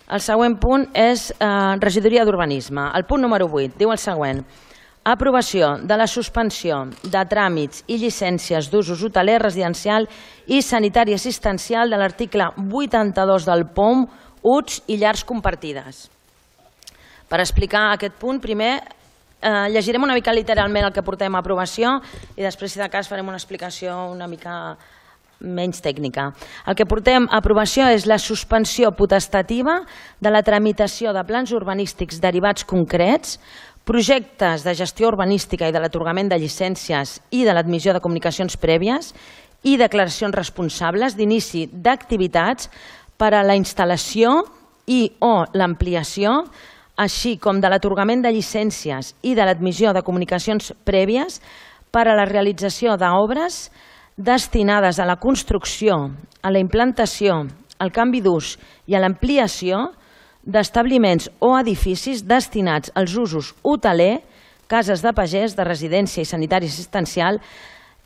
El següent punt és regidoria d'urbanisme. El punt número 8 diu el següent. Aprovació de la suspensió de tràmits i llicències d'usos hoteler, residencial i sanitari assistencial de l'article 82 del POM, UTS i llars compartides. Per explicar aquest punt, primer llegirem una mica literalment el que portem a aprovació i després, si de cas, farem una explicació una mica menys tècnica. El que portem a aprovació és la suspensió potestativa de la tramitació de plans urbanístics derivats concrets, projectes de gestió urbanística i de l'atorgament de llicències i de l'admissió de comunicacions prèvies i declaracions responsables d'inici d'activitats per a la instal·lació i o l'ampliació, així com de l'atorgament de llicències i de l'admissió de comunicacions prèvies per a la realització d'obres destinades a la construcció, a la implantació, al canvi d'ús i a l'ampliació d'establiments o edificis destinats als usos hoteler, cases de pagès, de residència i sanitari assistencial,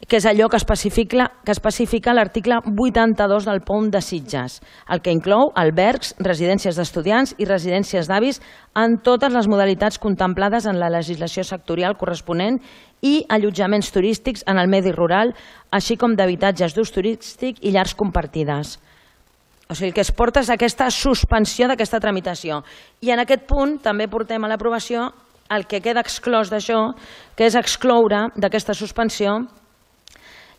que és allò que especifica l'article 82 del POM de Sitges, el que inclou albergs, residències d'estudiants i residències d'avis en totes les modalitats contemplades en la legislació sectorial corresponent i allotjaments turístics en el medi rural, així com d'habitatges d'ús turístic i llars compartides. O sigui, el que es porta és aquesta suspensió d'aquesta tramitació. I en aquest punt també portem a l'aprovació el que queda exclòs d'això, que és excloure d'aquesta suspensió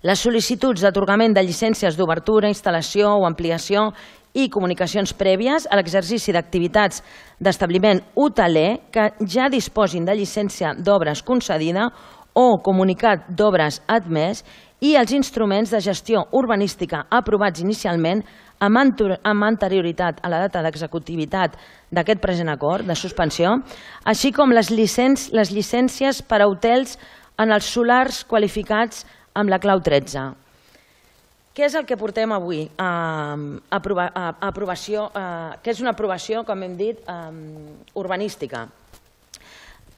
les sol·licituds d'atorgament de llicències d'obertura, instal·lació o ampliació i comunicacions prèvies a l'exercici d'activitats d'establiment hoteler que ja disposin de llicència d'obres concedida o comunicat d'obres admès i els instruments de gestió urbanística aprovats inicialment amb anterioritat a la data d'executivitat d'aquest present acord de suspensió, així com les llicències per a hotels en els solars qualificats amb la clau 13. Què és el que portem avui a aprovació, que és una aprovació, com hem dit, urbanística?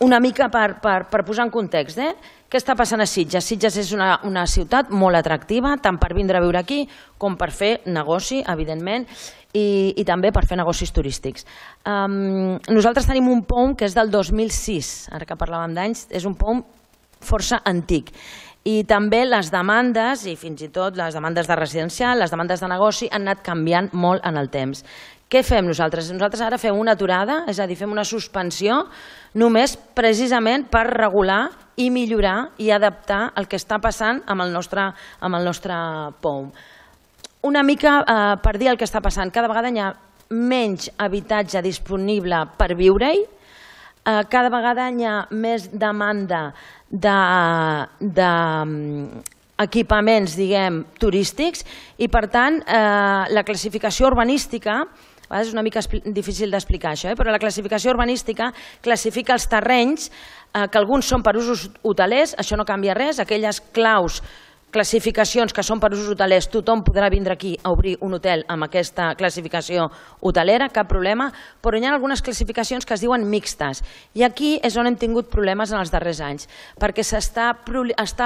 Una mica per posar en context, què està passant a Sitges? Sitges és una ciutat molt atractiva, tant per vindre a viure aquí com per fer negoci, evidentment, i també per fer negocis turístics. Nosaltres tenim un POM que és del 2006, ara que parlàvem d'anys, és un POM força antic. I també les demandes, i fins i tot les demandes de residencial, les demandes de negoci, han anat canviant molt en el temps. Què fem nosaltres? Nosaltres ara fem una aturada, és a dir, fem una suspensió només precisament per regular i millorar i adaptar el que està passant amb el nostre POM. Una mica per dir el que està passant, cada vegada hi ha menys habitatge disponible per viure-hi, cada vegada hi ha més demanda d'equipaments, diguem, turístics i, per tant, la classificació urbanística, a vegades és una mica difícil d'explicar això, però la classificació urbanística classifica els terrenys que alguns són per usos hotelers, això no canvia res, aquelles classificacions que són per usos hotelers, tothom podrà vindre aquí a obrir un hotel amb aquesta classificació hotelera, cap problema, però hi ha algunes classificacions que es diuen mixtes i aquí és on hem tingut problemes en els darrers anys, perquè està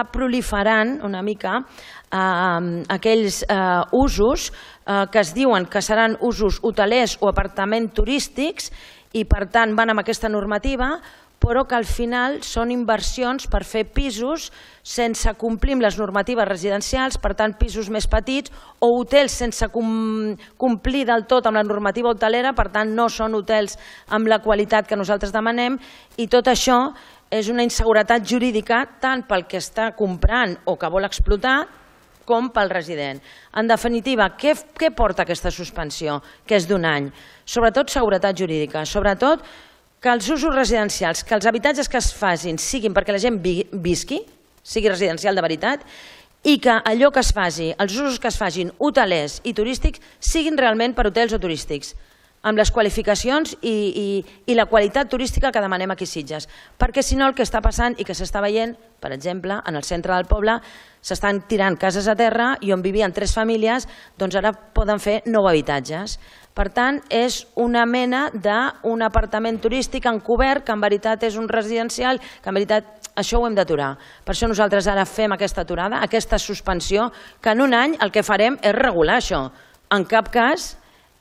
proliferant una mica aquells usos que es diuen que seran usos hotelers o apartaments turístics i per tant van amb aquesta normativa, però que al final són inversions per fer pisos sense complir amb les normatives residencials, per tant pisos més petits, o hotels sense complir del tot amb la normativa hotelera, per tant no són hotels amb la qualitat que nosaltres demanem, i tot això és una inseguretat jurídica tant pel que està comprant o que vol explotar com pel resident. En definitiva, què porta aquesta suspensió, que és d'un any? Sobretot seguretat jurídica, sobretot que els usos residencials, que els habitatges que es facin siguin perquè la gent visqui, sigui residencial de veritat, i que allò que es faci, els usos que es facin hotelers i turístics, siguin realment per hotels o turístics, amb les qualificacions i la qualitat turística que demanem aquí a Sitges. Perquè si no el que està passant i que s'està veient, per exemple, en el centre del poble, s'estan tirant cases a terra i on vivien 3 famílies, doncs ara poden fer 9 habitatges. Per tant, és una mena d'un apartament turístic encobert que en veritat és un residencial, que en veritat això ho hem d'aturar. Per això nosaltres ara fem aquesta aturada, aquesta suspensió, que en un any el que farem és regular això. En cap cas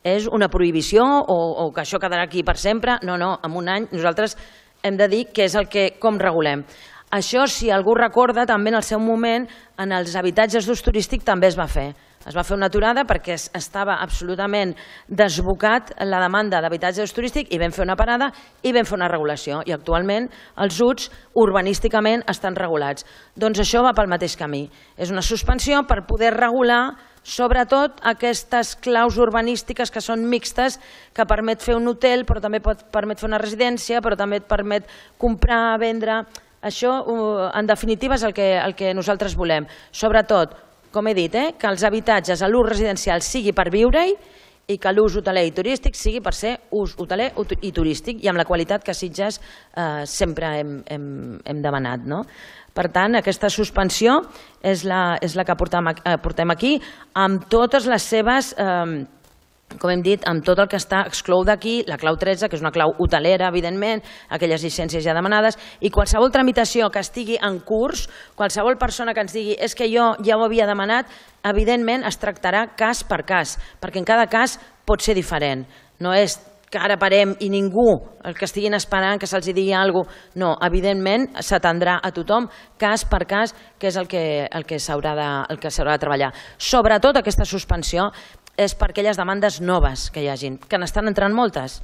és una prohibició o que això quedarà aquí per sempre. No, en un any nosaltres hem de dir què és com regulem. Això, si algú recorda, també en el seu moment en els habitatges d'ús turístic també es va fer. Es va fer una aturada perquè estava absolutament desbocat la demanda d'habitatge d'ús turístic i vam fer una parada i vam fer una regulació. I actualment els UTs urbanísticament estan regulats. Doncs això va pel mateix camí. És una suspensió per poder regular sobretot aquestes claus urbanístiques que són mixtes, que permet fer un hotel, però també permet fer una residència, però també et permet comprar, vendre. Això, en definitiva, és el que nosaltres volem. Sobretot, com he dit, que els habitatges a l'ús residencial sigui per viure-hi i que l'ús hoteler i turístic sigui per ser ús hoteler i turístic i amb la qualitat que a Sitges sempre hem demanat. Per tant, aquesta suspensió és la que portem aquí amb totes les seves, com hem dit, amb tot el que exclou d'aquí, la clau 13, que és una clau hotelera, evidentment, aquelles llicències ja demanades, i qualsevol tramitació que estigui en curs, qualsevol persona que ens digui és que jo ja ho havia demanat, evidentment es tractarà cas per cas, perquè en cada cas pot ser diferent. No és que ara parem i ningú, el que estiguin esperant que se'ls digui alguna cosa, no, evidentment s'atendrà a tothom cas per cas, que és el que s'haurà de treballar. Sobretot aquesta suspensió és per aquelles demandes noves que hi hagin, que n'estan entrant moltes.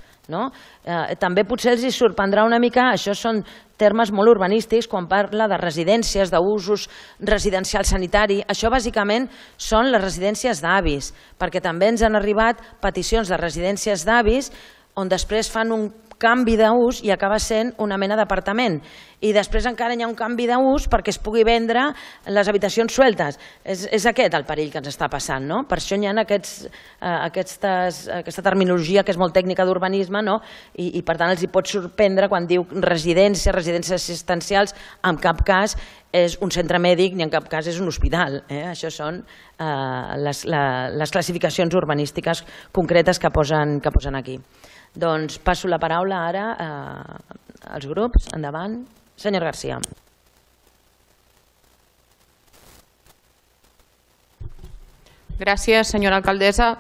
També potser els sorprendrà una mica, això són termes molt urbanístics, quan parla de residències, d'usos residencial sanitari, això bàsicament són les residències d'avis, perquè també ens han arribat peticions de residències d'avis on després fan un canvi d'ús i acaba sent una mena d'apartament. I després encara hi ha un canvi d'ús perquè es pugui vendre les habitacions sueltes. És aquest el perill que ens està passant. Per això hi ha aquesta terminologia que és molt tècnica d'urbanisme i per tant els hi pot sorprendre quan diu residències assistencials, en cap cas és un centre mèdic ni en cap cas és un hospital. Això són les classificacions urbanístiques concretes que posen aquí. Doncs passo la paraula ara als grups. Endavant. Senyor García. Gràcies, senyora alcaldessa.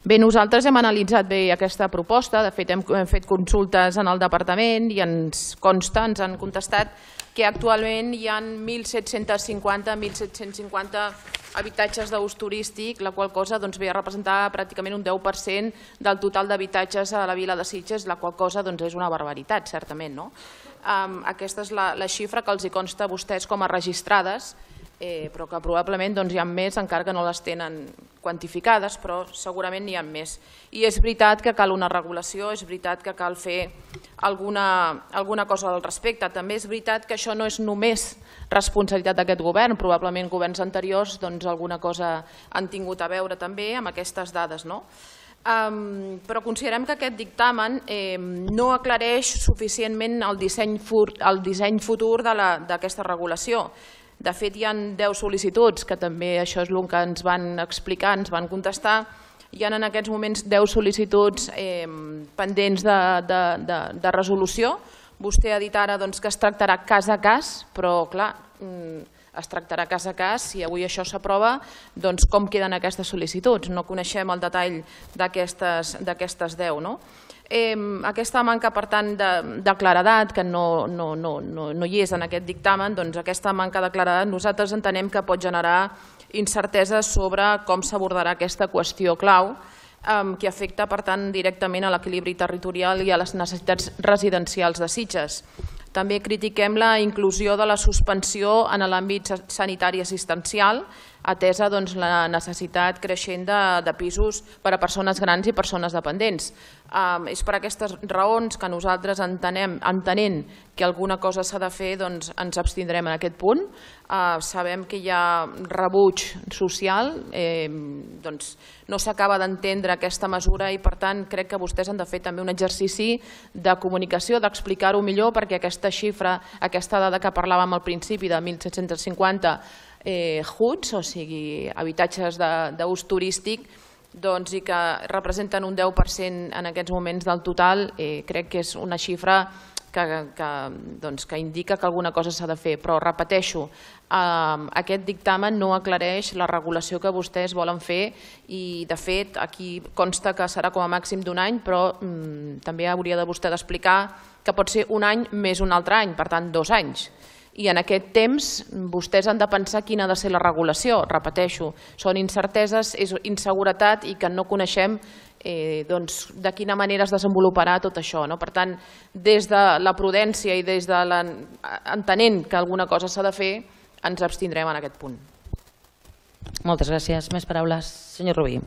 Bé, nosaltres hem analitzat bé aquesta proposta, de fet hem fet consultes en el departament i ens consta, ens han contestat que actualment hi ha 1.750 habitatges d'ús turístic, la qual cosa ve a representar pràcticament un 10% del total d'habitatges a la vila de Sitges, la qual cosa és una barbaritat, certament. Aquesta és la xifra que els hi consta a vostès com a registrades, però que probablement hi ha més, encara que no les tenen quantificades, però segurament n'hi ha més. I és veritat que cal una regulació, és veritat que cal fer alguna cosa al respecte. També és veritat que això no és només responsabilitat d'aquest govern, probablement governs anteriors alguna cosa han tingut a veure també amb aquestes dades. Però considerem que aquest dictamen no aclareix suficientment el disseny futur d'aquesta regulació. De fet, hi ha 10 sol·licituds, que també això és el que ens van explicar, ens van contestar. Hi ha en aquests moments 10 sol·licituds pendents de resolució. Vostè ha dit ara que es tractarà cas a cas, però clar, es tractarà cas a cas. Si avui això s'aprova, com queden aquestes sol·licituds? No coneixem el detall d'aquestes 10. Aquesta manca, per tant, de claredat, que no hi és en aquest dictamen, aquesta manca de claredat nosaltres entenem que pot generar incerteses sobre com s'abordarà aquesta qüestió clau que afecta, per tant, directament a l'equilibri territorial i a les necessitats residencials de Sitges. També critiquem la inclusió de la suspensió en l'àmbit sanitari assistencial, atesa la necessitat creixent de pisos per a persones grans i persones dependents. És per aquestes raons que nosaltres entenent que alguna cosa s'ha de fer, ens abstindrem en aquest punt. Sabem que hi ha rebuig social, no s'acaba d'entendre aquesta mesura i per tant crec que vostès han de fer també un exercici de comunicació, d'explicar-ho millor, perquè aquesta xifra, aquesta dada que parlàvem al principi de 1.750 HUTs, o sigui, habitatges d'ús turístic, i que representen un 10% en aquests moments del total, crec que és una xifra que indica que alguna cosa s'ha de fer, però repeteixo, aquest dictamen no aclareix la regulació que vostès volen fer i de fet aquí consta que serà com a màxim d'un any, però també hauria de vostè d'explicar que pot ser un any més un altre any, per tant 2 anys. I en aquest temps vostès han de pensar quina ha de ser la regulació, repeteixo, són incerteses, és inseguretat i que no coneixem de quina manera es desenvoluparà tot això. Per tant, des de la prudència i des de entenent que alguna cosa s'ha de fer, ens abstindrem en aquest punt. Moltes gràcies. Més paraules. Senyor Rubí.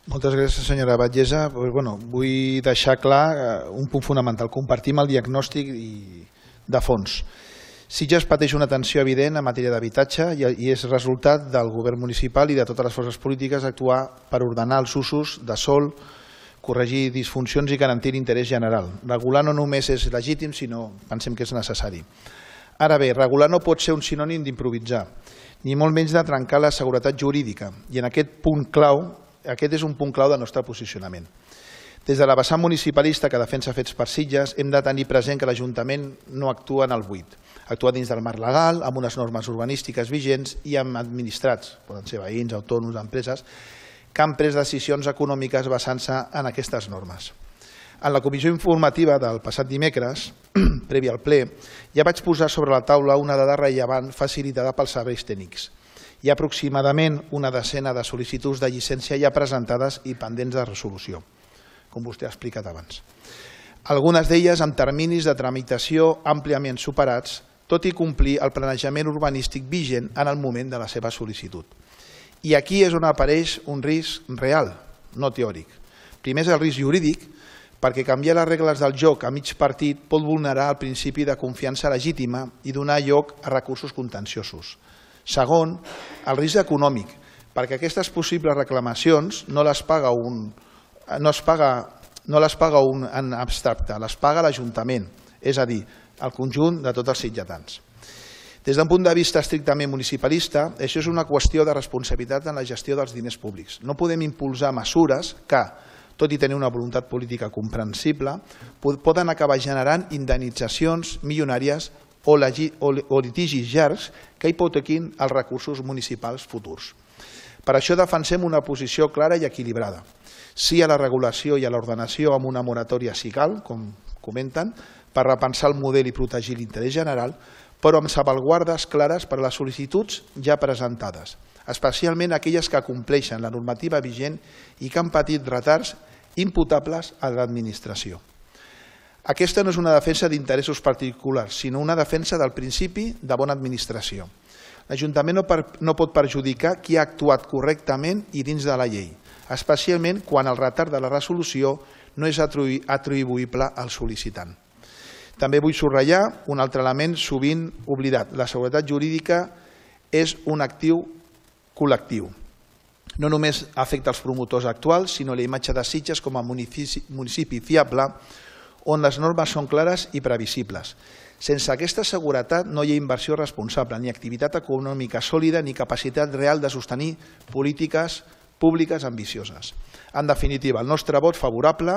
Moltes gràcies, senyora Batllessa. Vull deixar clar un punt fonamental. Compartim el diagnòstic de fons. Sitges pateix una tensió evident en matèria d'habitatge i és resultat del govern municipal i de totes les forces polítiques actuar per ordenar els usos de sòl, corregir disfuncions i garantir l'interès general. Regular no només és legítim, sinó pensem que és necessari. Ara bé, regular no pot ser un sinònim d'improvisar, ni molt menys de trencar la seguretat jurídica, i en aquest és un punt clau del nostre posicionament. Des de la vessant municipalista que defensa fets per Sitges, hem de tenir present que l'Ajuntament no actua en el buit. Actua dins del marc legal, amb unes normes urbanístiques vigents i amb administrats, poden ser veïns, autònoms, empreses, que han pres decisions econòmiques basant-se en aquestes normes. En la comissió informativa del passat dimecres, previ al ple, ja vaig posar sobre la taula una dada rellevant facilitada pels serveis tècnics. Hi ha aproximadament una decena de sol·licituds de llicència ja presentades i pendents de resolució, com vostè ha explicat abans. Algunes d'elles amb terminis de tramitació àmpliament superats, tot i complir el planejament urbanístic vigent en el moment de la seva sol·licitud. I aquí és on apareix un risc real, no teòric. Primer és el risc jurídic, perquè canviar les regles del joc a mig partit pot vulnerar el principi de confiança legítima i donar lloc a recursos contenciosos. Segon, el risc econòmic, perquè aquestes possibles reclamacions no les paga un en abstracte, les paga l'Ajuntament, és a dir, el conjunt de tots els sitgetans. Des d'un punt de vista estrictament municipalista, això és una qüestió de responsabilitat en la gestió dels diners públics. No podem impulsar mesures que, tot i tenir una voluntat política comprensible, poden acabar generant indemnitzacions milionàries o litigis llargs que hipotequin els recursos municipals futurs. Per això defensem una posició clara i equilibrada. Sí a la regulació i a l'ordenació amb una moratòria si cal, com comenten, per repensar el model i protegir l'interès general, però amb salvaguardes clares per a les sol·licituds ja presentades, especialment aquelles que compleixen la normativa vigent i que han patit retards imputables a l'administració. Aquesta no és una defensa d'interessos particulars, sinó una defensa del principi de bona administració. L'Ajuntament no pot perjudicar qui ha actuat correctament i dins de la llei, especialment quan el retard de la resolució no és atribuïble al sol·licitant. També vull subratllar un altre element sovint oblidat. La seguretat jurídica és un actiu col·lectiu. No només afecta els promotors actuals, sinó la imatge de Sitges com a municipi fiable, on les normes són clares i previsibles. Sense aquesta seguretat no hi ha inversió responsable, ni activitat econòmica sòlida, ni capacitat real de sostenir polítiques públiques ambicioses. En definitiva, el nostre vot favorable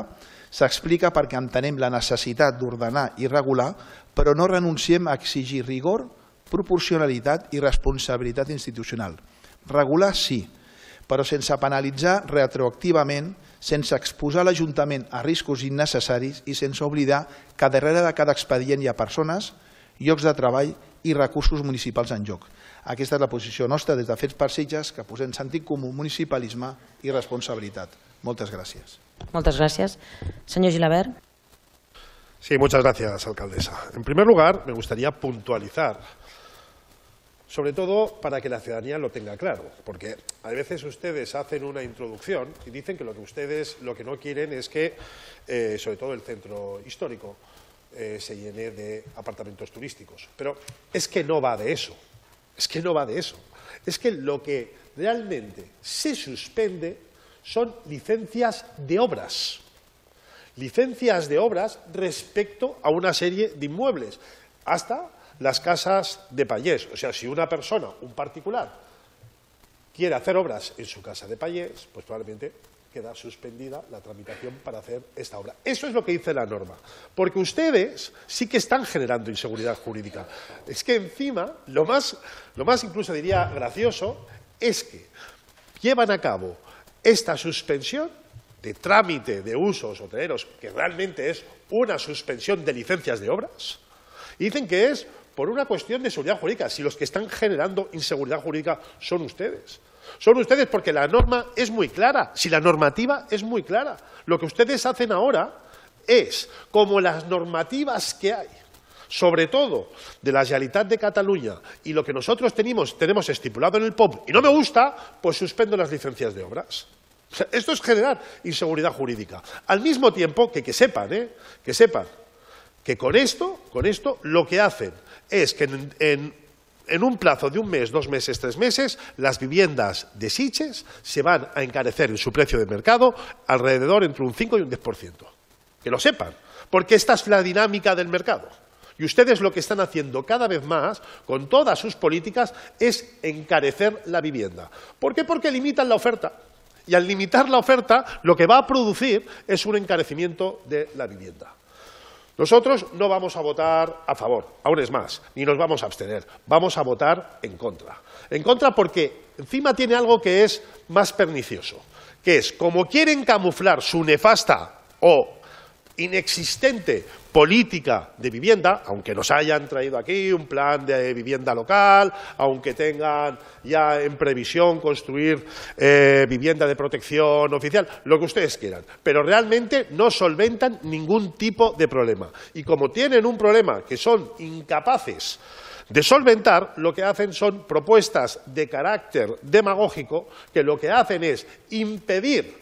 s'explica perquè entenem la necessitat d'ordenar i regular, però no renunciem a exigir rigor, proporcionalitat i responsabilitat institucional. Regular sí, però sense penalitzar retroactivament, sense exposar l'Ajuntament a riscos innecessaris i sense oblidar que darrere de cada expedient hi ha persones, llocs de treball i recursos municipals en joc. Aquesta és la posició nostra des de Fets per Sitges, que posem sentit comú, municipalisme i responsabilitat. Moltes gràcies. Moltes gràcies. Senyor Gilabert. Sí, muchas gracias, alcaldesa. En primer lugar, me gustaría puntualizar, sobre todo para que la ciudadanía lo tenga claro, porque a veces ustedes hacen una introducción y dicen que lo que no quieren es que, sobre todo el centro histórico, se llene de apartamentos turísticos. Pero es que no va de eso. Es que no va de eso. Es que lo que realmente se suspende son licencias de obras. Licencias de obras respecto a una serie de inmuebles, hasta las casas de payés. O sea, si una persona, un particular, quiere hacer obras en su casa de payés, pues probablemente queda suspendida la tramitación para hacer esta obra. Eso es lo que dice la norma, porque ustedes sí que están generando inseguridad jurídica. Es que encima, lo más incluso diría gracioso, es que llevan a cabo esta suspensión de trámite de usos hoteleros, que realmente es una suspensión de licencias de obras, y dicen que es por una cuestión de seguridad jurídica, si los que están generando inseguridad jurídica son ustedes. Son ustedes porque la norma es muy clara, si la normativa es muy clara. Lo que ustedes hacen ahora es, como las normativas que hay, sobre todo de la Generalitat de Cataluña, y lo que nosotros tenemos estipulado en el POM, y no me gusta, pues suspendo las licencias de obras. O sea, esto es generar inseguridad jurídica. Al mismo tiempo que sepan que con esto lo que hacen es que en un plazo de un mes, 2 meses, 3 meses, las viviendas de Sitges se van a encarecer en su precio de mercado alrededor entre un 5 y un 10%. Que lo sepan, porque esta es la dinámica del mercado. Y ustedes lo que están haciendo cada vez más, con todas sus políticas, es encarecer la vivienda. ¿Por qué? Porque limitan la oferta. Y al limitar la oferta, lo que va a producir es un encarecimiento de la vivienda. Nosotros no vamos a votar a favor, aún es más, ni nos vamos a abstener, vamos a votar en contra. En contra porque encima tiene algo que es más pernicioso, que es, como quieren camuflar su nefasta o inexistente política de vivienda, aunque nos hayan traído aquí un plan de vivienda local, aunque tengan ya en previsión construir vivienda de protección oficial, lo que ustedes quieran, pero realmente no solventan ningún tipo de problema. Y como tienen un problema que son incapaces de solventar, lo que hacen son propuestas de carácter demagógico que lo que hacen es impedir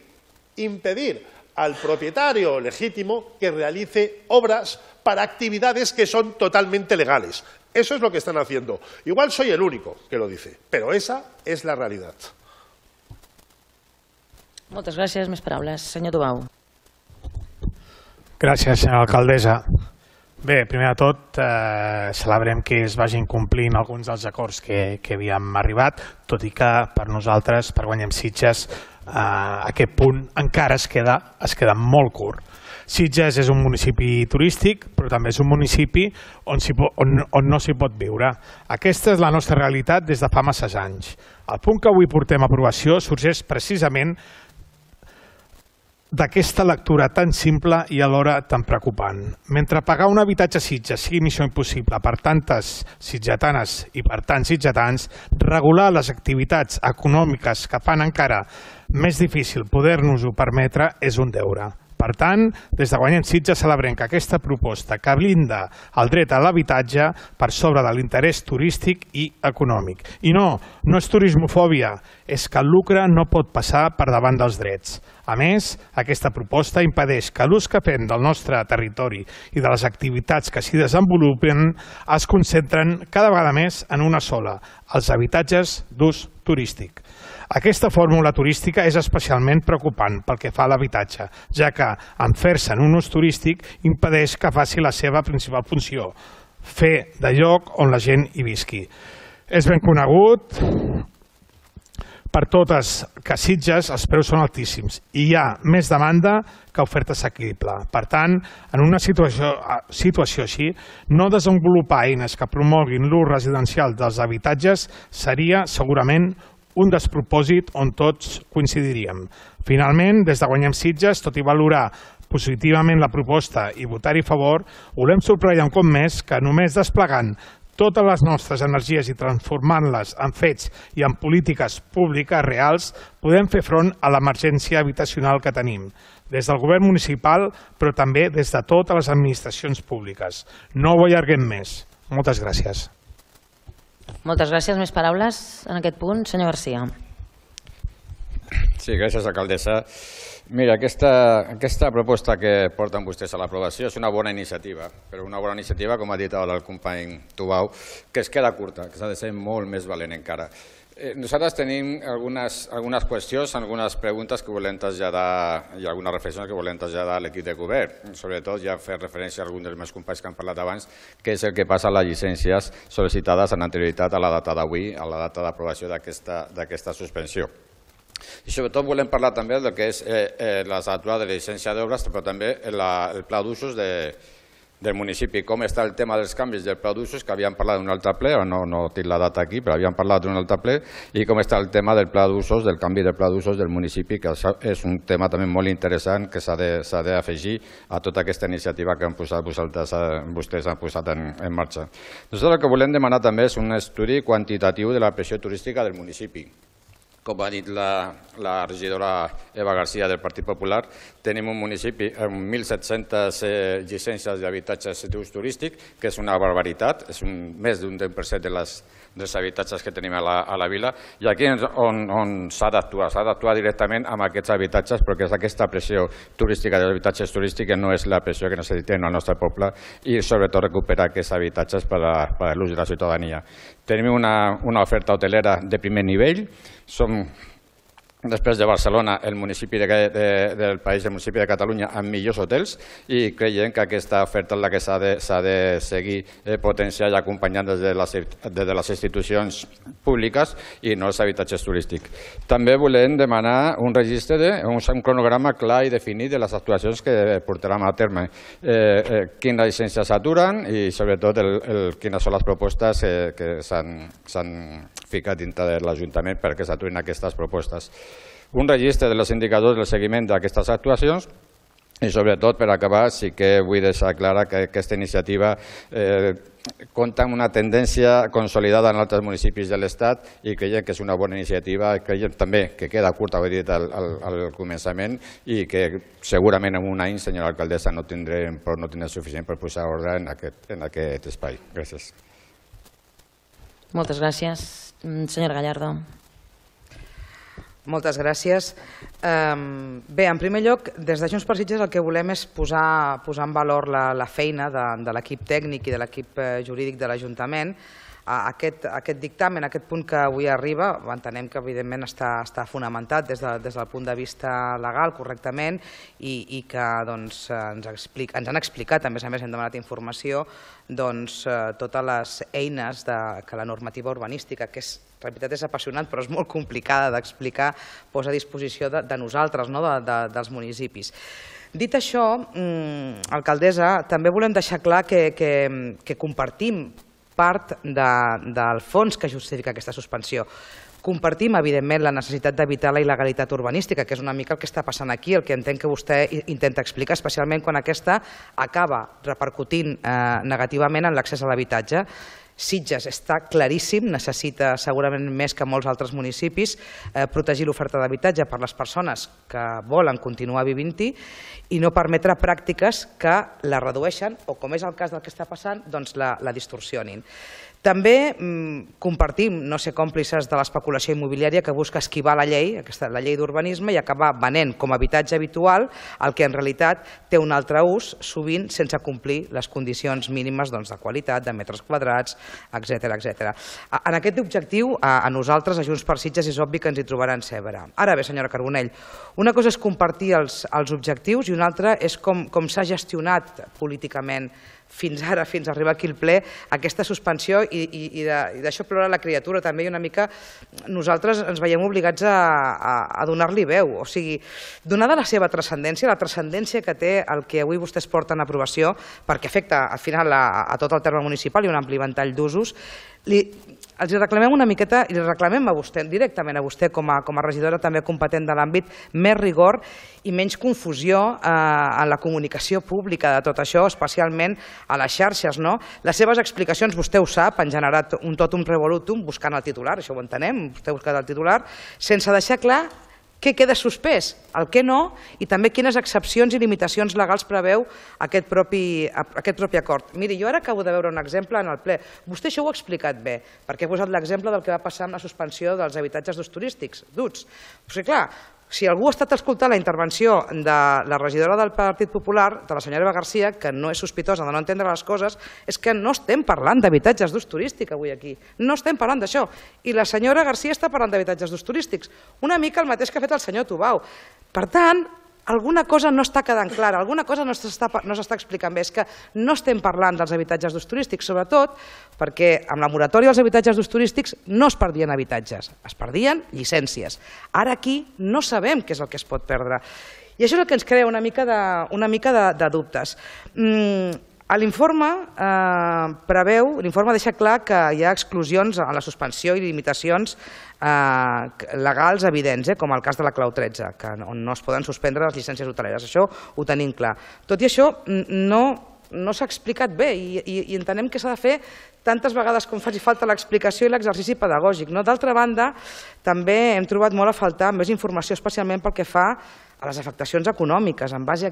al propietario legítimo que realice obras para actividades que son totalmente legales. Eso es lo que están haciendo. Igual soy el único que lo dice, però esa és la realitat. Moltes gràcies. Més paraules. Senyor Tubau. Gràcies, senyora alcaldessa. Bé, primer de tot, celebrem que es vagin complint alguns dels acords que havíem arribat, tot i que per nosaltres, per Guanyem Sitges, aquest punt encara es queda molt curt. Sitges és un municipi turístic, però també és un municipi on no s'hi pot viure. Aquesta és la nostra realitat des de fa masses anys. El punt que avui portem a aprovació sorgeix precisament d'aquesta lectura tan simple i alhora tan preocupant. Mentre pagar un habitatge a Sitges sigui missió impossible per tantes sitgetanes i per tants sitgetans, regular les activitats econòmiques que fan encara més difícil poder-nos-ho permetre és un deure. Per tant, des de Guanyem Sitges celebrem que aquesta proposta que blinda el dret a l'habitatge per sobre de l'interès turístic i econòmic. I no és turismofòbia, és que el lucre no pot passar per davant dels drets. A més, aquesta proposta impedeix que l'ús que fem del nostre territori i de les activitats que s'hi desenvolupen es concentren cada vegada més en una sola, els habitatges d'ús turístic. Aquesta fórmula turística és especialment preocupant pel que fa a l'habitatge, ja que en fer-se en un ús turístic impedeix que faci la seva principal funció, fer de lloc on la gent hi visqui. És ben conegut per totes que a Sitges els preus són altíssims i hi ha més demanda que oferta assequible. Per tant, en una situació així, no desenvolupar eines que promoguin l'ús residencial dels habitatges seria segurament un despropòsit on tots coincidiríem. Finalment, des de Guanyem Sitges, tot i valorar positivament la proposta i votar-hi a favor, volem subratllar un cop més que només desplegant totes les nostres energies i transformant-les en fets i en polítiques públiques reals, podem fer front a l'emergència habitacional que tenim, des del govern municipal, però també des de totes les administracions públiques. No ho allarguem més. Moltes gràcies. Moltes gràcies. Més paraules en aquest punt? Senyor Garcia. Sí, gràcies, alcaldessa. Mira, aquesta proposta que porten vostès a l'aprovació és una bona iniciativa, però una bona iniciativa, com ha dit el company Tubau, que es queda curta, que s'ha de ser molt més valent encara. Nosaltres tenim algunes qüestions, algunes preguntes que volem traslladar i algunes reflexions que volem traslladar a l'equip de govern. Sobretot ja fer referència a alguns dels meus companys que han parlat abans, que és el que passa a les llicències sol·licitades en anterioritat a la data d'avui, a la data d'aprovació d'aquesta suspensió. I sobretot volem parlar també del que és la satura de la llicència d'obres, però també el pla d'usos del municipi, com està el tema dels canvis del pla d'usos, que havíem parlat d'un altre ple, no tinc la data aquí, però havíem parlat d'un altre ple, i com està el tema del pla d'usos, del canvi del pla d'usos del municipi, que és un tema també molt interessant que s'ha d'afegir a tota aquesta iniciativa que han posat vostès han posat en marxa. Nosaltres el que volem demanar també és un estudi quantitatiu de la pressió turística del municipi. Com ha dit la regidora Eva García del Partit Popular, tenim un municipi amb 1.700 llicències d'habitatges d'ús turístic, que és una barbaritat, és més d'un 10% dels habitatges que tenim a la vila, i aquí on s'ha d'actuar directament amb aquests habitatges, perquè aquesta pressió turística dels habitatges turístics no és la pressió que necessitem al nostre poble, i sobretot recuperar aquests habitatges per a l'ús de la ciutadania. Tenim una oferta hotelera de primer nivell, som, després de Barcelona, el municipi del país, el municipi de Catalunya, amb millors hotels, i creiem que aquesta oferta és la que s'ha de seguir potenciant i acompanyant des de les institucions públiques i no els habitatges turístics. També volem demanar un registre, un cronograma clar i definit de les actuacions que portarem a terme, quines llicències s'aturen i sobretot quines són les propostes que s'han ficat dintre de l'Ajuntament perquè s'aturin aquestes propostes. Un registre dels indicadors del seguiment d'aquestes actuacions i sobretot, per acabar, sí que vull deixar clara que aquesta iniciativa compta amb una tendència consolidada en altres municipis de l'Estat i creiem que és una bona iniciativa, creiem també que queda curta, ho he dit al començament, i que segurament en un any, senyora alcaldessa, no tindrem suficient per posar ordre en aquest espai. Gràcies. Moltes gràcies. Senyora Gallardo. Moltes gràcies. Bé, en primer lloc, des de Junts per Sitges el que volem és posar en valor la feina de l'equip tècnic i de l'equip jurídic de l'Ajuntament. Aquest dictamen, aquest punt que avui arriba, entenem que evidentment està fonamentat des del punt de vista legal correctament i que ens han explicat, a més hem demanat informació, totes les eines que la normativa urbanística, que la veritat és apassionant però és molt complicada d'explicar, posa a disposició de nosaltres, dels municipis. Dit això, alcaldessa, també volem deixar clar que compartim part del fons que justifica aquesta suspensió. Compartim, evidentment, la necessitat d'evitar la il·legalitat urbanística, que és una mica el que està passant aquí, el que entenc que vostè intenta explicar, especialment quan aquesta acaba repercutint negativament en l'accés a l'habitatge. Sitges està claríssim, necessita segurament més que molts altres municipis protegir l'oferta d'habitatge per les persones que volen continuar vivint-hi i no permetre pràctiques que la redueixen o, com és el cas del que està passant, la distorsionin. També compartim no ser còmplices de l'especulació immobiliària que busca esquivar la llei d'urbanisme i acabar venent com a habitatge habitual el que en realitat té un altre ús, sovint sense complir les condicions mínimes de qualitat, de metres quadrats, etc. En aquest objectiu, a nosaltres, a Junts per Sitges, és obvi que ens hi trobaran sempre. Ara bé, senyora Carbonell, una cosa és compartir els objectius i una altra és com s'ha gestionat políticament fins ara, fins a arribar aquí al ple, aquesta suspensió i d'això plora la criatura també i una mica nosaltres ens veiem obligats a donar-li veu. O sigui, donada la seva transcendència, la transcendència que té el que avui vostès porten a aprovació, perquè afecta al final a tot el terme municipal i un ampli ventall d'usos, els reclamem una miqueta, i li reclamem a vostè, directament a vostè com a regidora també competent de l'àmbit, més rigor i menys confusió en la comunicació pública de tot això, especialment a les xarxes. Les seves explicacions, vostè ho sap, han generat un totum revolutum buscant el titular, això ho entenem, vostè ha buscat el titular, sense deixar clar què queda suspès, el què no, i també quines excepcions i limitacions legals preveu aquest propi acord. Miri, jo ara acabo de veure un exemple en el ple. Vostè això ho ha explicat bé, perquè ha posat l'exemple del que va passar amb la suspensió dels habitatges d'ús turístics, d'UTS. O sigui, clar, si algú ha estat escoltant la intervenció de la regidora del Partit Popular, de la senyora Eva García, que no és sospitosa de no entendre les coses, és que no estem parlant d'habitatges d'ús turístic avui aquí. No estem parlant d'això. I la senyora García està parlant d'habitatges d'ús turístics. Una mica el mateix que ha fet el senyor Tubau. Per tant, alguna cosa no està quedant clara, alguna cosa no s'està explicant bé. És que no estem parlant dels habitatges d'ús turístic, sobretot perquè amb la moratòria dels habitatges d'ús turístics no es perdien habitatges, es perdien llicències. Ara aquí no sabem què és el que es pot perdre. I això és el que ens crea una mica de dubtes. L'informe preveu, l'informe deixa clar que hi ha exclusions a la suspensió i limitacions legals evidents, com el cas de la clau 13, on no es poden suspendre les llicències hoteleres. Això ho tenim clar. Tot i això, no s'ha explicat bé i entenem que s'ha de fer tantes vegades com faci falta l'explicació i l'exercici pedagògic. D'altra banda, també hem trobat molt a faltar més informació, especialment pel que fa a les afectacions econòmiques, en base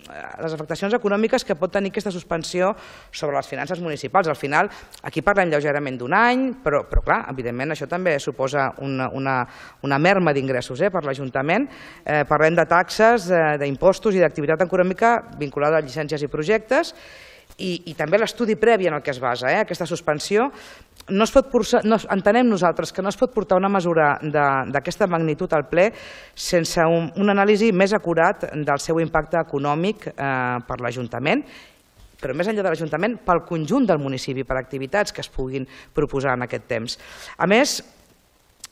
a les afectacions econòmiques que pot tenir aquesta suspensió sobre les finances municipals. Al final, aquí parlem lleugerament d'un any, però clar, evidentment això també suposa una merma d'ingressos per l'Ajuntament. Parlem de taxes, d'impostos i d'activitat econòmica vinculada a llicències i projectes, i també l'estudi previ en el que es basa aquesta suspensió. Entenem nosaltres que no es pot portar una mesura d'aquesta magnitud al ple sense una anàlisi més acurat del seu impacte econòmic per l'Ajuntament, però més enllà de l'Ajuntament, pel conjunt del municipi, per activitats que es puguin proposar en aquest temps. A més,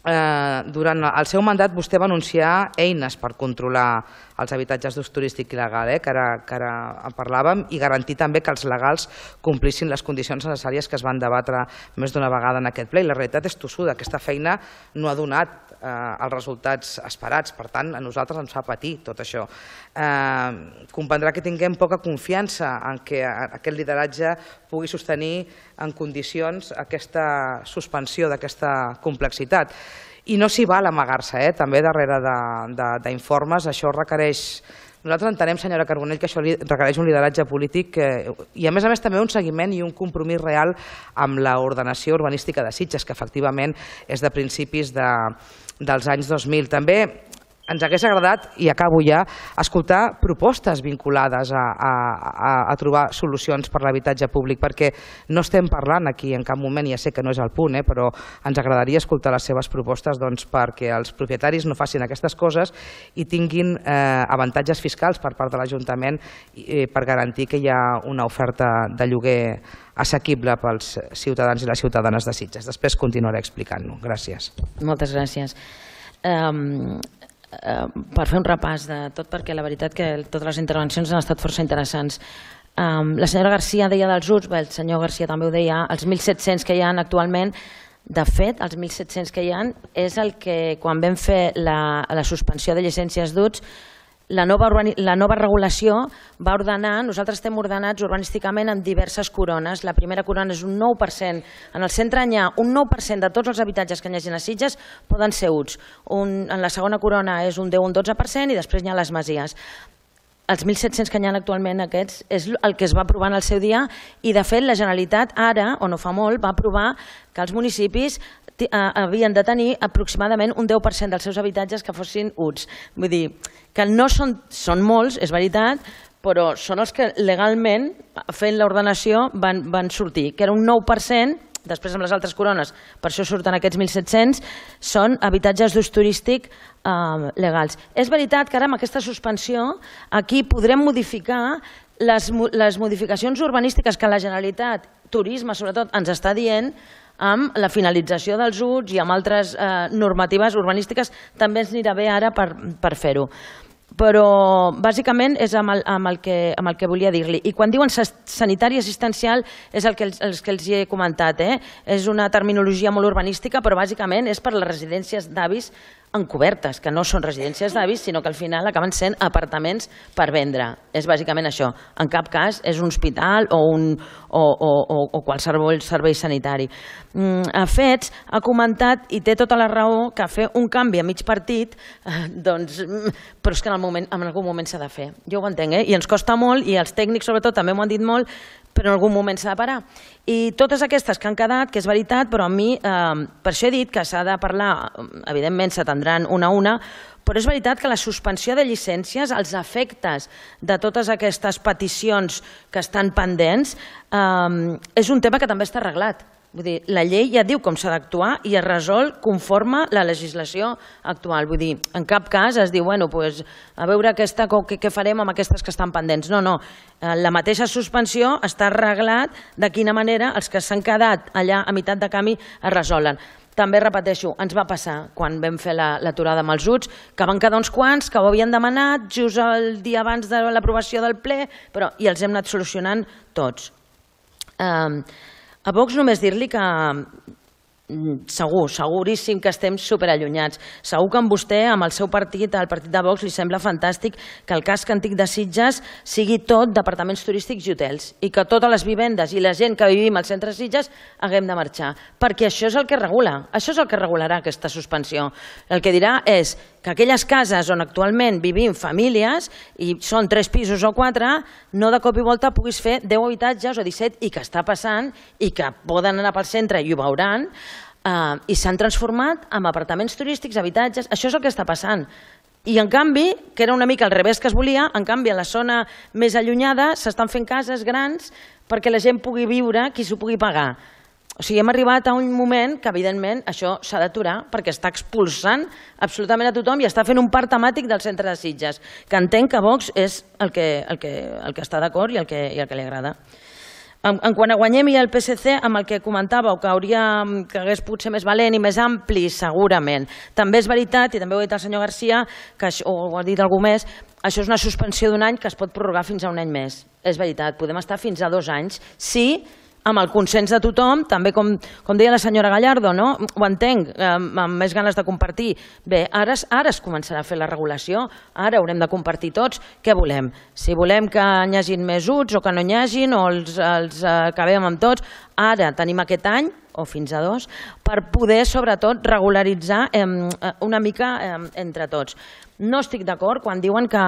durant el seu mandat vostè va anunciar eines per controlar els habitatges d'ús turístic il·legal, que ara en parlàvem, i garantir també que els legals complissin les condicions necessàries que es van debatre més d'una vegada en aquest ple. I la realitat és tossuda, aquesta feina no ha donat els resultats esperats, per tant a nosaltres ens fa patir tot això. Comprendrà que tinguem poca confiança en que aquest lideratge pugui sostenir en condicions aquesta suspensió d'aquesta complexitat. I no s'hi val amagar-se, també darrere d'informes. Això requereix, nosaltres entenem, senyora Carbonell, que això requereix un lideratge polític i a més també un seguiment i un compromís real amb l'ordenació urbanística de Sitges, que efectivament és de principis dels anys 2000. També ens hagués agradat, i acabo ja, escoltar propostes vinculades a trobar solucions per l'habitatge públic, perquè no estem parlant aquí en cap moment, ja sé que no és el punt, però ens agradaria escoltar les seves propostes perquè els propietaris no facin aquestes coses i tinguin avantatges fiscals per part de l'Ajuntament per garantir que hi ha una oferta de lloguer assequible pels ciutadans i les ciutadanes de Sitges. Després continuaré explicant-ho. Gràcies. Moltes gràcies. Per fer un repàs de tot, perquè la veritat que totes les intervencions han estat força interessants. La senyora Garcia deia dels UTS, el senyor Garcia també ho deia, els 1.700 que hi ha actualment. De fet, els 1.700 que hi ha és el que quan vam fer la suspensió de llicències d'UTS, la nova regulació va ordenar, nosaltres estem ordenats urbanísticament en diverses corones. La primera corona és un 9%, en el centre hi ha un 9% de tots els habitatges que hi hagi a Sitges poden ser UTS. En la segona corona és un 10 o un 12% i després hi ha les masies. Els 1.700 que hi ha actualment aquests és el que es va aprovar en el seu dia i de fet la Generalitat ara, o no fa molt, va aprovar que els municipis havien de tenir aproximadament un 10% dels seus habitatges que fossin UTS. Vull dir que no són molts, és veritat, però són els que legalment, fent l'ordenació, van sortir, que era un 9%, després amb les altres corones, per això surten aquests 1.700, són habitatges d'ús turístic legals. És veritat que ara amb aquesta suspensió aquí podrem modificar les modificacions urbanístiques que la Generalitat, turisme sobretot, ens està dient amb la finalització dels UTS i amb altres normatives urbanístiques. També ens anirà bé ara per fer-ho. Però bàsicament és amb el que volia dir-li. I quan diuen sanitari assistencial és el que els he comentat. És una terminologia molt urbanística, però bàsicament és per les residències d'avis encobertes, que no són residències d'avis, sinó que al final acaben sent apartaments per vendre. És bàsicament això. En cap cas és un hospital o qualsevol servei sanitari. A Fets ha comentat, i té tota la raó, que fer un canvi a mig partit, però és que en algun moment s'ha de fer. Jo ho entenc, i ens costa molt, i els tècnics sobretot també m'ho han dit molt, però en algun moment s'ha de parar. I totes aquestes que han quedat, que és veritat, però a mi, per això he dit que s'ha de parlar, evidentment s'atendran una a una, però és veritat que la suspensió de llicències, els efectes de totes aquestes peticions que estan pendents, és un tema que també està arreglat. Vull dir, la llei ja diu com s'ha d'actuar i es resol conforme la legislació actual. Vull dir, en cap cas es diu, bueno, pues, a veure què farem amb aquestes que estan pendents. No, no. La mateixa suspensió està arreglat de quina manera els que s'han quedat allà a meitat de camí es resolen. També, repeteixo, ens va passar quan vam fer l'aturada amb els UTS, que van quedar uns quants que ho havien demanat just el dia abans de l'aprovació del ple, i els hem anat solucionant tots. A Vox només dir-li que seguríssim que estem superallunyats. Segur que amb vostè, amb el seu partit, el partit de Vox, li sembla fantàstic que el casc antic de Sitges sigui tot departaments turístics i hotels i que totes les vivendes i la gent que vivim al centre de Sitges haguem de marxar, perquè això és el que regula, això és el que regularà aquesta suspensió. El que dirà és que aquelles cases on actualment vivim famílies, i són 3 pisos o 4, no de cop i volta puguis fer 10 habitatges o 17, i que està passant, i que poden anar pel centre i ho veuran, i s'han transformat en apartaments turístics, habitatges, això és el que està passant. I en canvi, que era una mica al revés que es volia, en canvi a la zona més allunyada s'estan fent cases grans perquè la gent pugui viure, qui s'ho pugui pagar. O sigui, hem arribat a un moment que, evidentment, això s'ha d'aturar perquè està expulsant absolutament a tothom i està fent un parc temàtic del centre de Sitges, que entenc que Vox és el que està d'acord i el que li agrada. En quant a Guanyem i el PSC, amb el que comentàveu, que hagués pogut ser més valent i més ampli, segurament. També és veritat, i també ho ha dit el senyor Garcia, o ho ha dit algú més, això és una suspensió d'un any que es pot prorrogar fins a un any més. És veritat, podem estar fins a 2 anys, sí, amb el consens de tothom, també com deia la senyora Gallardo, no? Ho entenc, amb més ganes de compartir. Bé, ara es començarà a fer la regulació, ara haurem de compartir tots què volem. Si volem que n'hi hagin més UTS o que no n'hi hagin, o els acabem amb tots, ara tenim aquest any, o fins a 2, per poder, sobretot, regularitzar una mica entre tots. No estic d'acord quan diuen que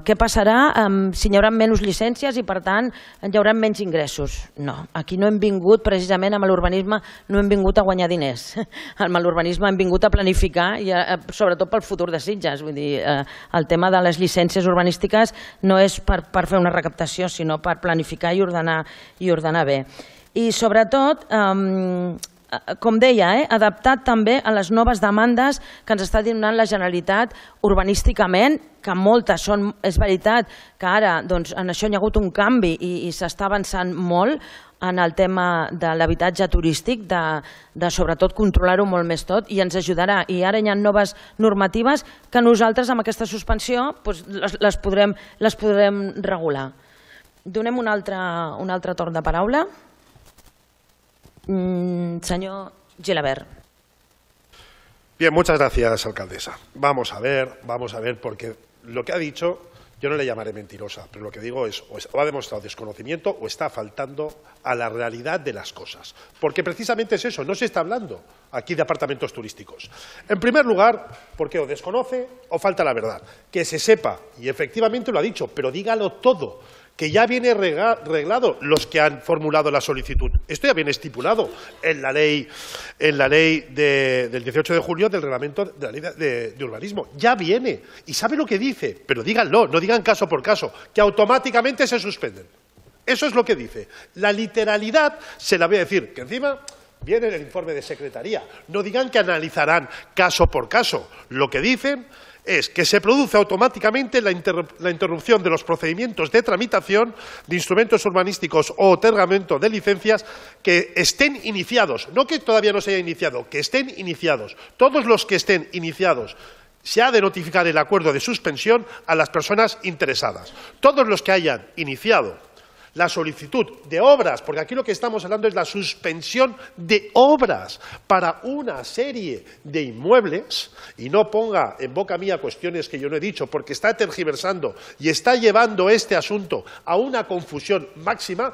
què passarà si hi haurà menys llicències i, per tant, hi haurà menys ingressos. No, aquí no hem vingut, precisament amb l'urbanisme, no hem vingut a guanyar diners. Amb l'urbanisme hem vingut a planificar, i sobretot pel futur de Sitges. Vull dir, el tema de les llicències urbanístiques no és per fer una recaptació, sinó per planificar i ordenar bé. I, sobretot, com deia, adaptat també a les noves demandes que ens està donant la Generalitat urbanísticament, que moltes són, és veritat, que ara en això hi ha hagut un canvi i s'està avançant molt en el tema de l'habitatge turístic, de sobretot controlar-ho molt més tot, i ens ajudarà. I ara hi ha noves normatives que nosaltres amb aquesta suspensió les podrem regular. Donem un altre torn de paraula. Señor Gilabert. Bien, muchas gracias, alcaldesa. Vamos a ver, porque lo que ha dicho, yo no le llamaré mentirosa, pero lo que digo es, o ha demostrado desconocimiento o está faltando a la realidad de las cosas. Porque precisamente es eso, no se está hablando aquí de apartamentos turísticos. En primer lugar, porque o desconoce o falta la verdad. Que se sepa, y efectivamente lo ha dicho, pero dígalo todo, que ya viene reglado los que han formulado la solicitud. Esto ya viene estipulado en la ley del 18 de julio del reglamento de la ley de urbanismo. Ya viene. Y sabe lo que dice, pero díganlo, no digan caso por caso, que automáticamente se suspenden. Eso es lo que dice. La literalidad se la voy a decir, que encima viene en el informe de secretaría. No digan que analizarán caso por caso. Lo que dicen es que se produce automáticamente la interrupción de los procedimientos de tramitación de instrumentos urbanísticos o otorgamiento de licencias que estén iniciados, no que todavía no se haya iniciado, que estén iniciados. Todos los que estén iniciados se ha de notificar el acuerdo de suspensión a las personas interesadas. Todos los que hayan iniciado la solicitud de obras, porque aquí lo que estamos hablando es la suspensión de obras para una serie de inmuebles, y no ponga en boca mía cuestiones que yo no he dicho, porque está tergiversando y está llevando este asunto a una confusión máxima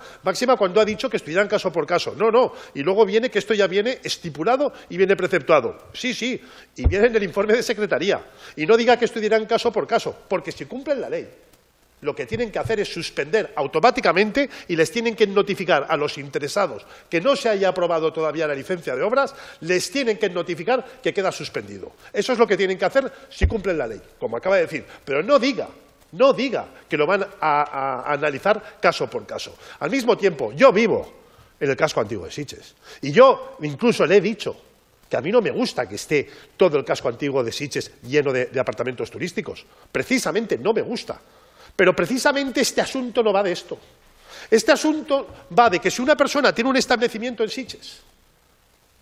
cuando ha dicho que estudiarán caso por caso. No, y luego viene que esto ya viene estipulado y viene preceptuado. Sí, y viene en el informe de secretaría. Y no diga que estudiarán caso por caso, porque si cumplen la ley, lo que tienen que hacer es suspender automáticamente y les tienen que notificar a los interesados que no se haya aprobado todavía la licencia de obras, les tienen que notificar que queda suspendido. Eso es lo que tienen que hacer si cumplen la ley, como acaba de decir. Pero no diga que lo van a analizar caso por caso. Al mismo tiempo, yo vivo en el casco antiguo de Sitges. Y yo incluso le he dicho que a mí no me gusta que esté todo el casco antiguo de Sitges lleno de apartamentos turísticos. Precisamente no me gusta. Pero precisamente este asunto no va de esto. Este asunto va de que si una persona tiene un establecimiento en Sitges,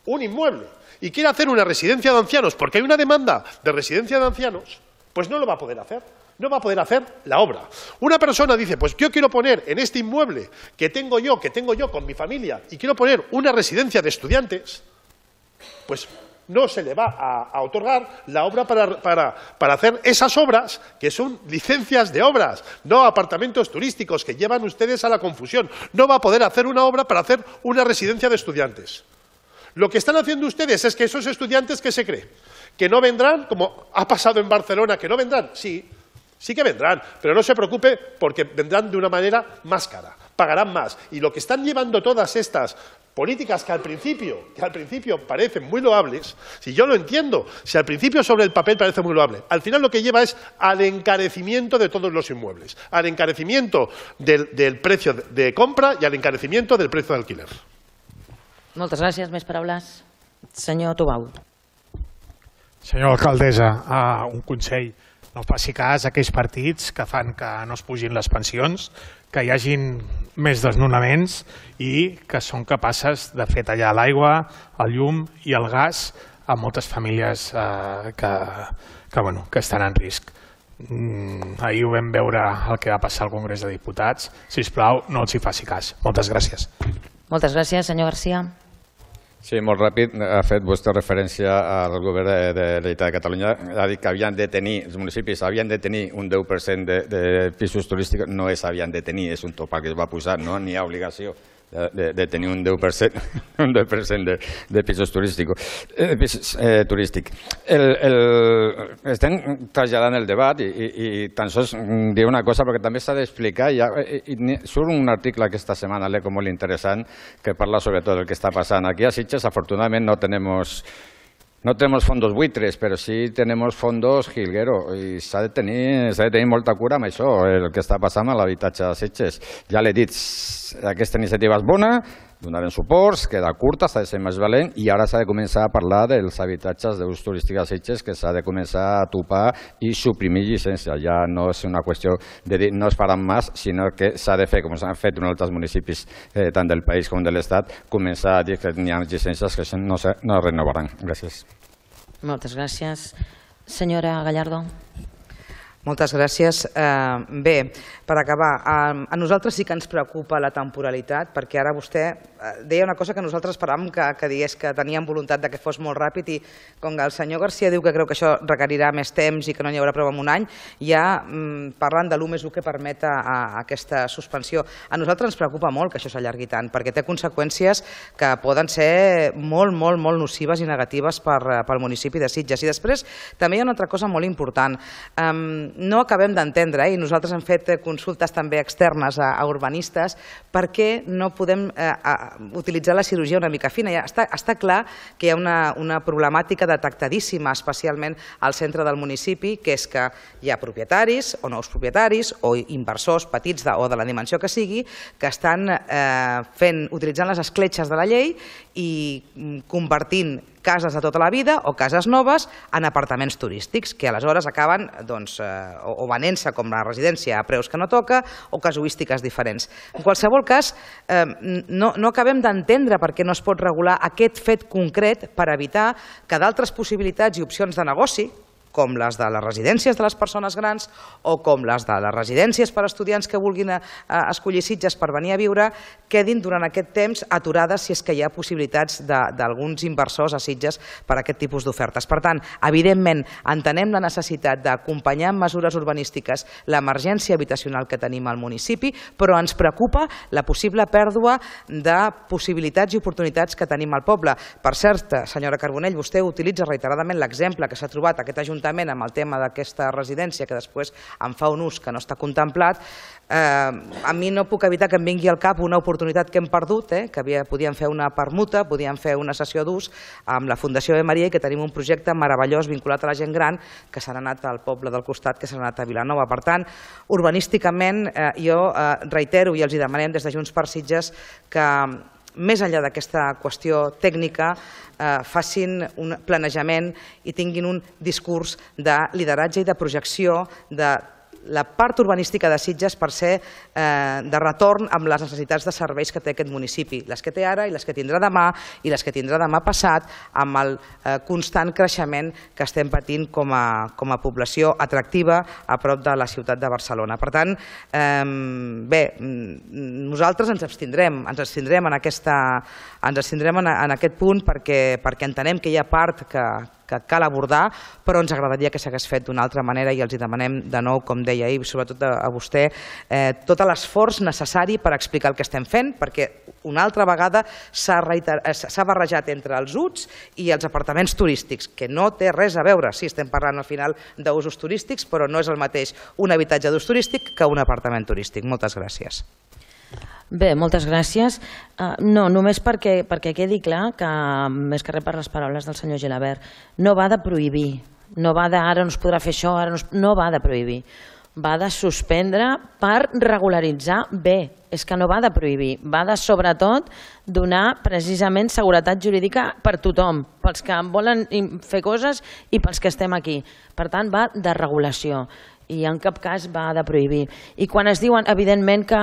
un inmueble, y quiere hacer una residencia de ancianos porque hay una demanda de residencia de ancianos, pues no lo va a poder hacer. No va a poder hacer la obra. Una persona dice, pues yo quiero poner en este inmueble que tengo yo con mi familia, y quiero poner una residencia de estudiantes, pues no se le va a otorgar la obra para hacer esas obras que son licencias de obras, no apartamentos turísticos que llevan ustedes a la confusión. No va a poder hacer una obra para hacer una residencia de estudiantes. Lo que están haciendo ustedes es que esos estudiantes, ¿qué se cree? ¿Que no vendrán? Como ha pasado en Barcelona, ¿que no vendrán? Sí que vendrán, pero no se preocupe porque vendrán de una manera más cara, pagarán más. Y lo que están llevando todas estas políticas que al principio parecen muy loables, si yo lo entiendo, si al principio sobre el papel parece muy loable, al final lo que lleva es al encarecimiento de todos los inmuebles, al encarecimiento del precio de compra y al encarecimiento del precio de alquiler. Moltes gràcies. Més paraules. Senyor Tubau. Senyor alcaldessa, un consell. No faci cas a aquells partits que fan que no es pugin les pensions, que hi hagin més desnonaments i que són capaces de fer tallar l'aigua, el llum i el gas a moltes famílies que estan en risc. Ahir ho vam veure el que va passar al Congrés de Diputats. Sisplau, no els hi faci cas. Moltes gràcies. Moltes gràcies, senyor García. Sí, molt ràpid. Ha fet vostè referència al govern de la Generalitat de Catalunya. Ha dit que els municipis havien de tenir un 10% de pisos turístics. No és havien de tenir, és un topall que es va posar, no n'hi ha obligació de tenir un 10% de pisos turístics. Estem traslladant el debat i tan sols diré una cosa perquè també s'ha d'explicar. Surt un article aquesta setmana, l'Eco, molt interessant, que parla sobretot del que està passant. Aquí a Sitges, afortunadamente, no tenemos fondos buitres, pero sí tenemos fondos jilguero i s'ha de tenir molta cura amb això, el que està passant a l'habitatge de Sitges. Ja l'he dit, aquesta iniciativa és bona, donarem suports, queda curta, s'ha de ser més valent i ara s'ha de començar a parlar dels habitatges d'ús turístic a Sitges, que s'ha de començar a topar i suprimir llicències. Ja no és una qüestió de dir no es faran més, sinó que s'ha de fer, com s'han fet en altres municipis tant del país com de l'Estat, començar a dir que n'hi ha llicències que no es renovaran. Gràcies. Moltes gràcies. Senyora Gallardo. Moltes gràcies. Bé, per acabar, a nosaltres sí que ens preocupa la temporalitat, perquè ara vostè deia una cosa que nosaltres esperàvem que digués que teníem voluntat que fos molt ràpid i com que el senyor García diu que creu que això requerirà més temps i que no n'hi haurà prou en un any, ja parlant de l'1+1 que permet aquesta suspensió. A nosaltres ens preocupa molt que això s'allargui tant, perquè té conseqüències que poden ser molt nocives i negatives pel municipi de Sitges. I després també hi ha una altra cosa molt important. No acabem d'entendre, i nosaltres hem fet consultes també externes a urbanistes, per què no podem utilitzar la cirurgia una mica fina. Està clar que hi ha una problemàtica detectadíssima, especialment al centre del municipi, que és que hi ha propietaris o nous propietaris o inversors petits o de la dimensió que sigui que estan utilitzant les escletxes de la llei i convertint cases de tota la vida o cases noves en apartaments turístics, que aleshores acaben o venent-se com la residència a preus que no toca o casuístiques diferents. En qualsevol cas, no acabem d'entendre per què no es pot regular aquest fet concret per evitar que d'altres possibilitats i opcions de negoci, com les de les residències de les persones grans o com les de les residències per a estudiants que vulguin escollir Sitges per venir a viure, quedin durant aquest temps aturades si és que hi ha possibilitats d'alguns inversors a Sitges per a aquest tipus d'ofertes. Per tant, evidentment, entenem la necessitat d'acompanyar amb mesures urbanístiques l'emergència habitacional que tenim al municipi, però ens preocupa la possible pèrdua de possibilitats i oportunitats que tenim al poble. Per cert, senyora Carbonell, vostè utilitza reiteradament l'exemple que s'ha trobat aquest ajuntament amb el tema d'aquesta residència que després en fa un ús que no està contemplat. A mi no puc evitar que em vingui al cap una oportunitat que hem perdut, que podíem fer una permuta, podíem fer una sessió d'ús amb la Fundació de Maria i que tenim un projecte meravellós vinculat a la gent gran que s'ha anat al poble del costat, que s'ha anat a Vilanova. Per tant, urbanísticament jo reitero i els hi demanem des de Junts per Sitges que més enllà d'aquesta qüestió tècnica, facin un planejament i tinguin un discurs de lideratge i de projecció de la part urbanística de Sitges per ser de retorn amb les necessitats de serveis que té aquest municipi, les que té ara i les que tindrà demà i les que tindrà demà passat, amb el constant creixement que estem patint com a població atractiva a prop de la ciutat de Barcelona. Per tant, bé, nosaltres ens abstindrem en aquest punt perquè entenem que hi ha part que cal abordar, però ens agradaria que s'hagués fet d'una altra manera i els demanem de nou, com deia ahir, sobretot a vostè, tot l'esforç necessari per explicar el que estem fent, perquè una altra vegada s'ha barrejat entre els UTs i els apartaments turístics, que no té res a veure. Sí, estem parlant al final d'usos turístics, però no és el mateix un habitatge d'ús turístic que un apartament turístic. Moltes gràcies. Bé, moltes gràcies. No, només perquè quedi clar que, més que res per les paraules del senyor Gilabert, no va de prohibir, no va de ara no es podrà fer això, no va de prohibir, va de suspendre per regularitzar bé, és que no va de prohibir, va de sobretot donar precisament seguretat jurídica per tothom, pels que volen fer coses i pels que estem aquí. Per tant, va de regulació i en cap cas va de prohibir. I quan es diuen, evidentment que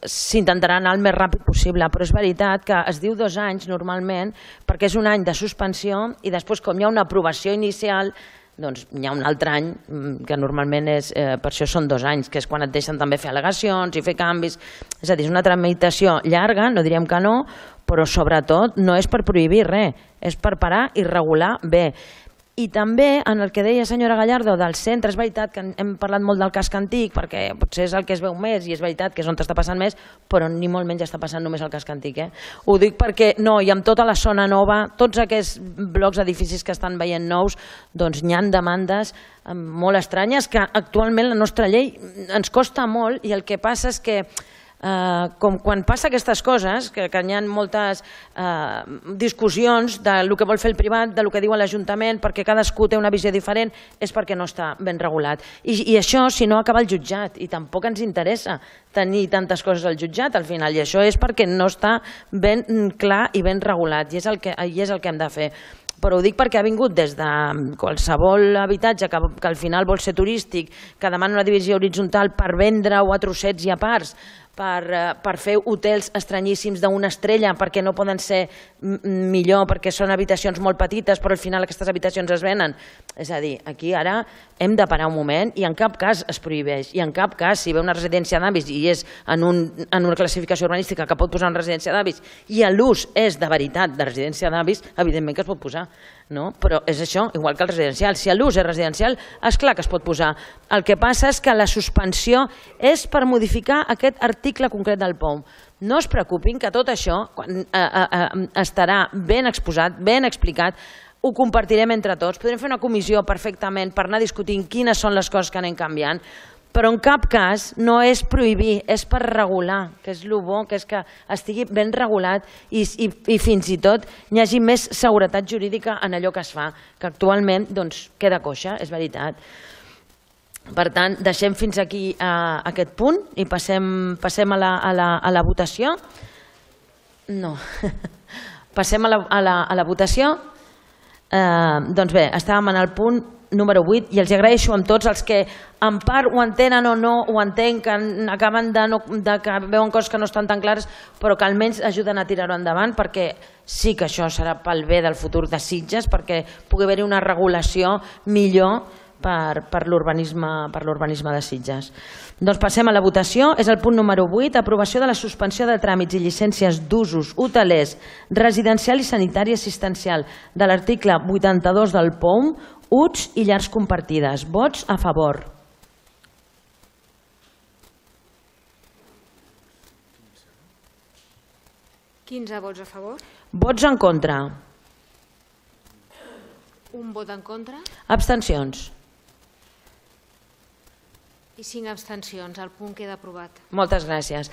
s'intentarà anar el més ràpid possible, però és veritat que es diu 2 anys normalment perquè és un any de suspensió i després com hi ha una aprovació inicial doncs hi ha un altre any que normalment per això són 2 anys, que és quan et deixen també fer al·legacions i fer canvis, és a dir, és una tramitació llarga, no diríem que no, però sobretot no és per prohibir res, és per parar i regular bé. I també en el que deia senyora Gallardo del centre, és veritat que hem parlat molt del casc antic perquè potser és el que es veu més i és veritat que és on està passant més, però ni molt menys està passant només al casc antic. Ho dic perquè no, i amb tota la zona nova, tots aquests blocs edificis que estan veient nous, doncs hi ha demandes molt estranyes que actualment la nostra llei ens costa molt i el que passa és que com quan passa aquestes coses, que hi ha moltes discussions del que vol fer el privat, del que diu l'Ajuntament, perquè cadascú té una visió diferent, és perquè no està ben regulat. I això, si no, acaba al jutjat, i tampoc ens interessa tenir tantes coses al jutjat al final, i això és perquè no està ben clar i ben regulat, i és el que hem de fer. Però ho dic perquè ha vingut des de qualsevol habitatge que al final vol ser turístic, que demana una divisió horitzontal per vendre-ho a trossets i a parts, per fer hotels estranyíssims d'una estrella perquè no poden ser millor, perquè són habitacions molt petites, però al final aquestes habitacions es venen. És a dir, aquí ara hem de parar un moment i en cap cas es prohibeix, i en cap cas si ve una residència d'avis i és en una classificació urbanística que pot posar una residència d'avis i l'ús és de veritat de residència d'avis, evidentment que es pot posar. Però és això, igual que el residencial. Si l'ús és residencial, és clar que es pot posar. El que passa és que la suspensió és per modificar aquest article concret del POUM. No es preocupin que tot això estarà ben exposat, ben explicat, ho compartirem entre tots, podrem fer una comissió perfectament per anar discutint quines són les coses que anem canviant, però en cap cas no és prohibir, és per regular, que és el bo, que és que estigui ben regulat i fins i tot hi hagi més seguretat jurídica en allò que es fa, que actualment queda coixa, és veritat. Per tant, deixem fins aquí aquest punt i passem a la votació. No, passem a la votació. Doncs bé, estàvem en el punt número 8 i els agraeixo amb tots els que en part ho entenen o no ho entenc, que acaben que veuen coses que no estan tan clares, però que almenys ajuden a tirar-ho endavant, perquè sí que això serà pel bé del futur de Sitges, perquè pugui haver-hi una regulació millor per l'urbanisme de Sitges. Doncs passem a la votació. És el punt número 8, aprovació de la suspensió de tràmits i llicències d'usos hotelers, residencial i sanitari assistencial de l'article 82 del POUM, UTS i llars compartides. Vots a favor. ¿15 vots a favor? Vots en contra. Un vot en contra Abstencions. i 5 abstencions. El punt queda aprovat. Moltes gràcies.